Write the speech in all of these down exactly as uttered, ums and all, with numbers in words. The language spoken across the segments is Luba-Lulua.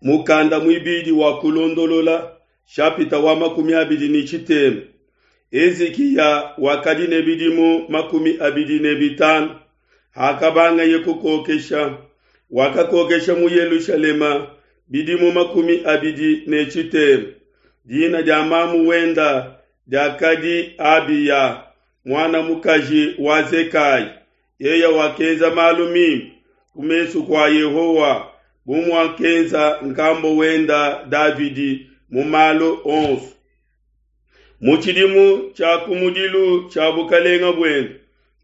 Mukanda muibidi wa Kulondolola, shapita wa makumi abidi ne tshitema. Hezikiya wakadi ne bidimu makumi abidi ne bitanu hakabangaye kukokesha. Wakakokesha mu Yelushalema bidimu makumi abidi ne tshitema. Dina dia mamu wenda diakadi Abiya, muana mukaji wa Zekayi. Yeye wakenza malu mimpe ku mesu kua Yehowa, bu muakenza nkambo wenda Davidi mu malu onso. Mu tshidimu tshia kumudilu tshia bukalenga buende,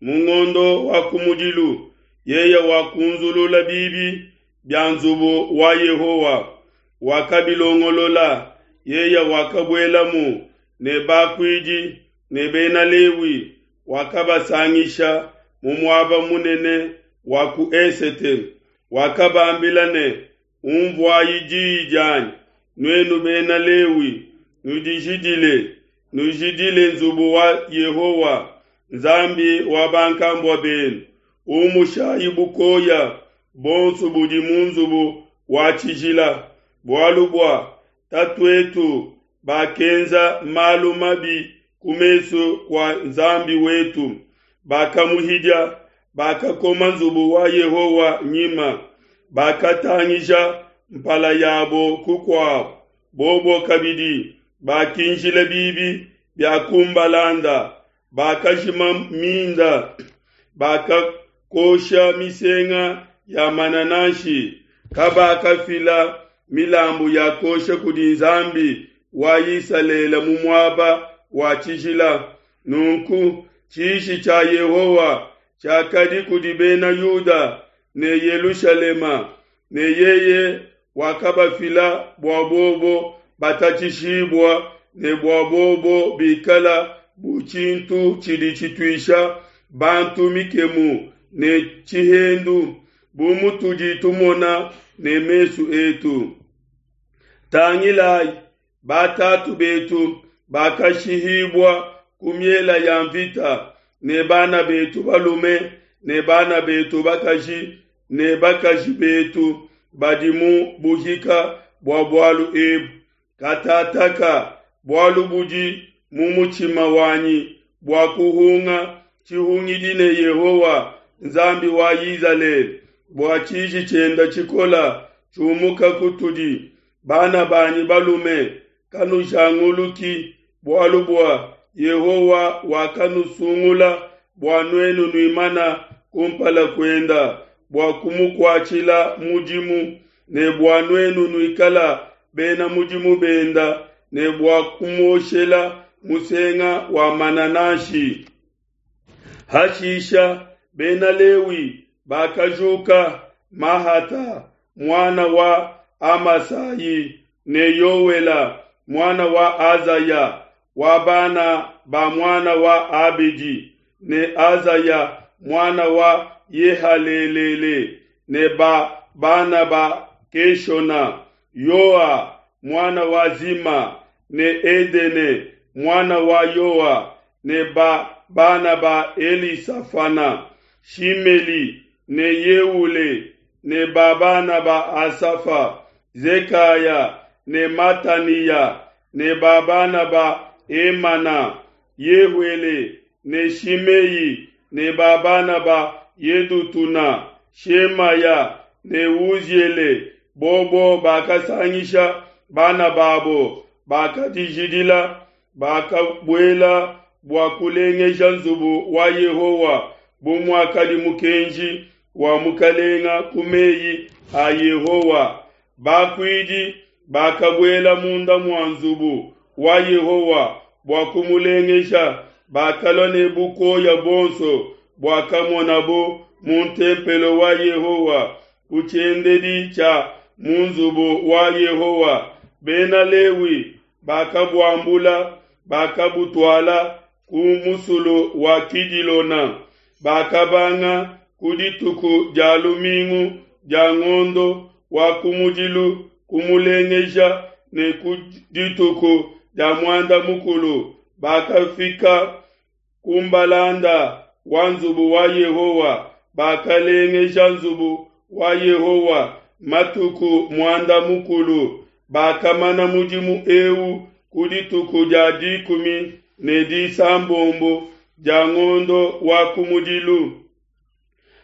mu ngondo wa kumudilu, yeye wakunzulula bibi bia nzubu wa Yehowa, wakabilongolola. Yeye wakabuelamu ne bakuidi ne bena Lewi, wakabasangisha mu muaba munene wa ku esete. Wakabambila ne, Unvuayi diyi dianyi, nuenu bena Lewi, nudijidile, nujidile nzubu wa Yehowa, Nzambi wa bankambua benu. Umushayi bukoya bonso budi mu nzubu wa tshijila, bualu bua tatuetu bakenza malu mabi ku mesu kua Nzambi wetu, bakamuhidia, bakakoma nzubu wa Yehowa nyima, bakatangija mpala yabo kukuabo. Bobo kabidi bakinjila bibi bia kumbalanda, bakajima minda, bakakosha misenga ya manananshi, kabakafila milambu ya kosha kudi Nzambi wa Isalele mu muaba wa tshijila. Nunku tshiji tshia Yehowa tshiakadi kudi bena Yuda ne Yelushalema, ne yeye wakabafila bua bobo batatshishibua ne bua bobo bikala bu tshintu tshidi tshituisha bantu mikemu ne tshihendu, bu mutudi tumona ne mesu etu. Tangilayi, batatu betu bakashihibua ku miela ya mvita, ne bana betu balume ne bana betu bakaji ne bakaji betu badi mu buhika bua bualu ebu. Katataka bualu budi mu mutshima wanyi bua kuhunga tshihungidi ne Yehowa, Nzambi wa Izalele, bua tshiji tshienda tshikola tshiumuka kutudi. Bana banyi balume, kanujanguluki, bualu bua Yehowa wakanusungula bua nuenu nuimana kumpala kuenda bua kumukuatshila mudimu, ne bua nuenu nuikala bena mudimu benda, ne bua kumuoshela musenga wa manananshi. Hashisha bena Lewi bakajuka, Mahata muana wa Amasayi ne Yowela muana wa Azaya wa bana ba muana wa Abedi, ne Azaya muana wa Yehalelele, ne ba bana ba Keshona, Yoa muana wa Zima, ne Edene muana wa Yoa, ne ba bana ba Elisafana, Shimeli ne Yeule, ne ba bana ba Asafa, Zekaya ne Mataniya, ne ba bana ba Emana, Yehuele ne Shimei, ne ba bana ba Yedutuna, Shemaya ne Uziele. Bobo bakasangisha bana babo, bakadijidila, bakabuela bua kulengeja nzubu wa Yehowa bu muakadi mukenji wa mukalenga ku meyi a Yehowa. Bakuidi bakabuela munda mua nzubu wa Yehowa bua kumulengeja, bakalua ne bukoya buonso buakamonabo mu ntempelo wa Yehowa ku tshiendedi tshia mu nzubu wa Yehowa. Bena Lewi bakabuambula, bakabutuala ku musulu wa Kidilona. Bakabanga ku dituku dia lumingu dia ngondo wa kumudilu kumulengeja, ne ku dituku dia muanda mukulu bakafika ku mbalanda wa nzubu wa Yehowa. Bakalengeja nzubu wa Yehowa matuku muanda mukulu, bakamana mudimu eu ku dituku dia dikumi ne disambombo dia ngondo wa kumudilu.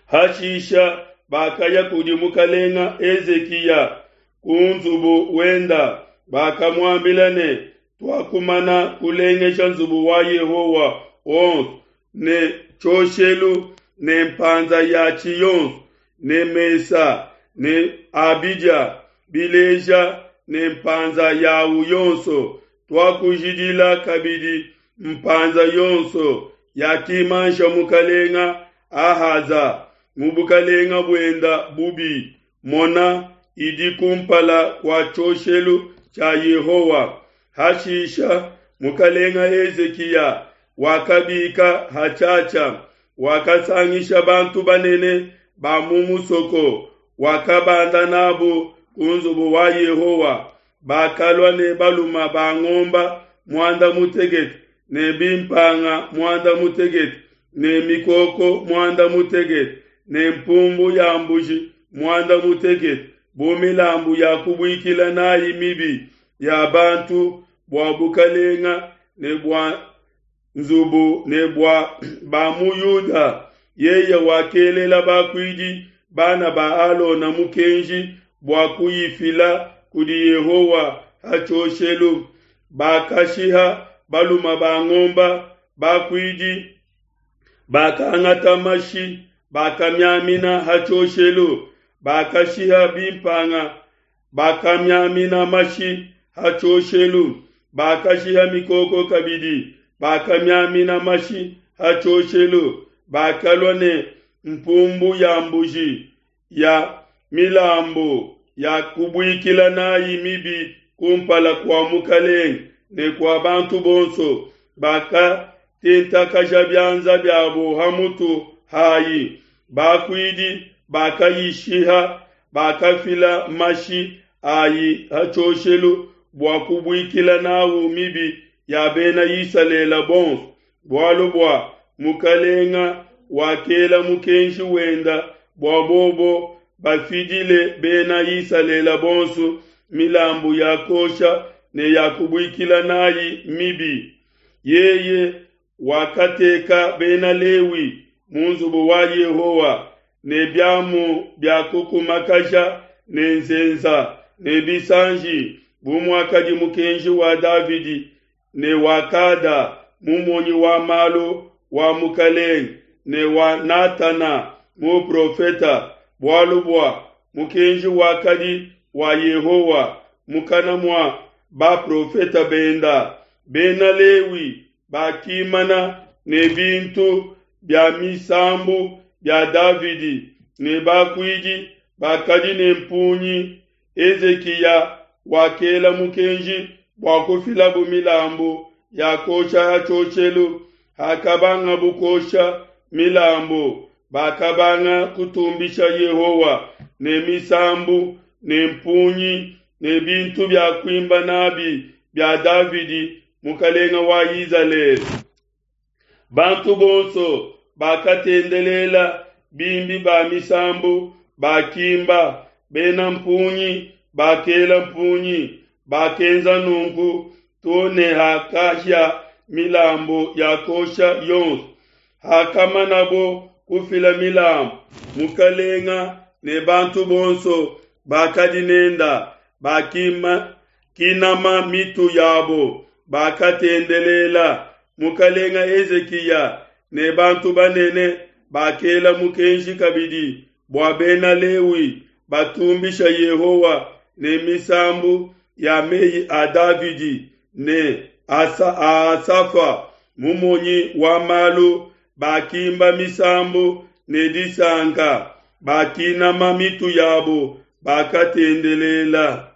Hashisha bakaya kudi mukalenga Hezikiya ku nzubu wenda, bakamuambila ne, tuakumana kulengesha nzubu wa Yehowa wonso ne tshioshelu ne mpanza yatshi yonso ne mesa ne abidia bileja ne mpanza yawu yonso, tuakujidila kabidi mpanza yonso yakimansha mukalenga Ahaza mu bukalenga buenda bubi, mona idi kumpala kua tshioshelu tshia Yehowa. Hashisha mukalenga Hezikiya wakabika hatshiatshia, wakasangisha bantu banene ba mu musoko, wakabanda nabo ku nzubu wa Yehowa. Bakalua ne baluma ba ngomba muanda mutekete ne bimpanga muanda mutekete ne mikoko muanda mutekete ne mpumbu ya mbuji muanda mutekete bu milambu ya kubuikila nayi mibi ya bantu bua bukalenga ne bua nzubu ne bua ba mu Yuda. Yeye wakelela bakuidi bana ba Alona mukenji bua kuyifila kudi Yehowa ha tshioshelu. Bakashiha baluma ba ngomba, bakuidi bakangata mashi bakamiamina ha tshioshelu, bakashiha bimpanga bakamiamina mashi ha tshioshelu, bakashiha mikoko kabidi bakamiamina mashi ha tshioshelu, bakalua ne mpumbu ya mbuji ya milambu ya kubuikila nayi mibi kumpala kua mukalenge ne kua bantu bonso, bakatentakaja bianza biabo ha mutu hayi. Bakuidi bakayishiha, bakafila mashi ayi ha tshioshelu bua kubuikila nawu mibi ya bena Isalele bonso, bualu bua mukalenga wakela mukenji wenda bua bobo bafidile bena Isalele bonso milambu ya kosha ne ya kubuikila nayi mibi. Yeye wakateka bena Lewi mu nzubu wa Yehowa ne biamu bia kukumakaja ne nzenza ne bisanji, bu muakadi mukenji wa Davidi ne wa Kada mumonyi wa malu wa mukalenge ne wa Natana muprofeta, bualu bua mukenji wakadi wa Yehowa mukana mua baprofeta benda. Bena Lewi bakimana ne bintu bia misambu bia Davidi ne bakuidi bakadi ne mpungi. Hezikiya wakela mukenji bua kufilabu milambu ya kosha ha tshioshelu. Hakabangabu kosha milambu, bakabanga kutumbisha Yehowa ne misambu ne mpungi ne bintu bia kuimba nabi bia Davidi mukalenga wa Izalele. Bantu bonso bakatendelela, bimbi ba misambu bakimba, bena mpungi bakela mpungi, bakenza nunku to ne hakahia milambu ya kosha yonso. Hakamanabo kufila milambu, mukalenga ne bantu bonso bakadi nenda bakima kinama mitu yabo, bakatendelela. Mukalenga Hezikiya ne bantu banene bakela mukenji kabidi bua bena Lewi batumbisha Yehowa ne misambu ya meyi a Davidi ne asa a Asafa mumonyi wa malu. Bakimba misambu ne disanka, bakinama mitu yabo, bakatendelela.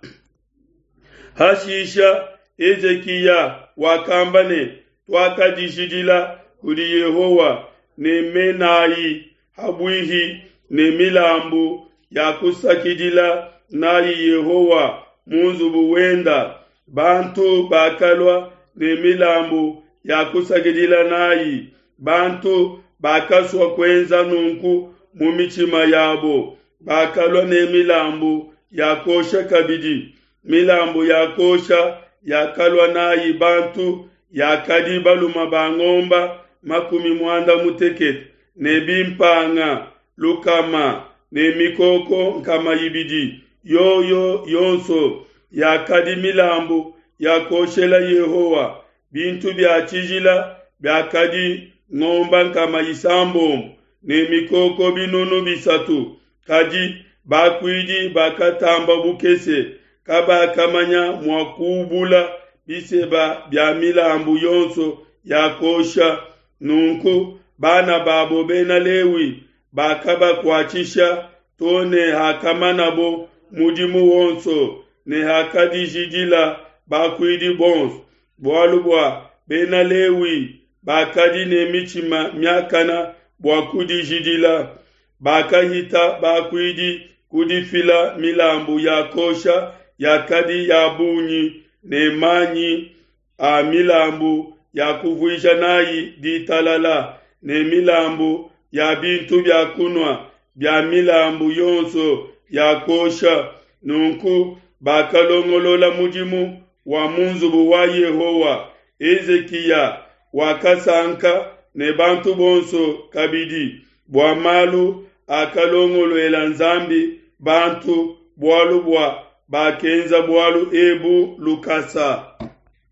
Hashisha Hezikiya wakamba ne, tuakadijidila kudi Yehowa ne menayi habuihi ne milambu ya kusakidila nayi Yehowa mu nzubu wenda. Bantu bakalua ne milambu ya kusakidila nayi, bantu bakasua kuenza nunku mu mitshima yabo, bakalua ne milambu ya kuosha kabidi. Milambu ya kuosha yakalua nayi bantu yakadi balume ba ngomba makumi muanda mutekete ne bimpanga lukama ne mikoko nkama ibidi, yoyo yonso yakadi milambu ya kuoshela Yehowa. Bintu bia tshijila biakadi ngomba nkama isambombo ne mikoko binunu bisatu, kadi bakuidi bakatamba bukese, kabakamanya mua kuubula biseba bia milambu yonso ya kuosha. Nunku bana babo Bena Lewi bakabakuatshisha to ne hakamanabo mudimu wonso ne hakadijidila bakuidi bonso, bualu bua Bena Lewi bakadi ne mitshima miakana bua kudijidila. Bakahita bakuidi kudifila milambu ya kuosha yakadi ya bungi ne manyi a milambu ya kuvuija nayi ditalala ne milambu ya bintu bia kunua bia milambu yonso ya kuosha. Nunku bakalongolola mudimu wa mu nzubu wa Yehowa. Hezikiya wakasanka ne bantu bonso kabidi bua malu akalongoluela Nzambi bantu, bualu bua bakenza bualu ebu lukasa.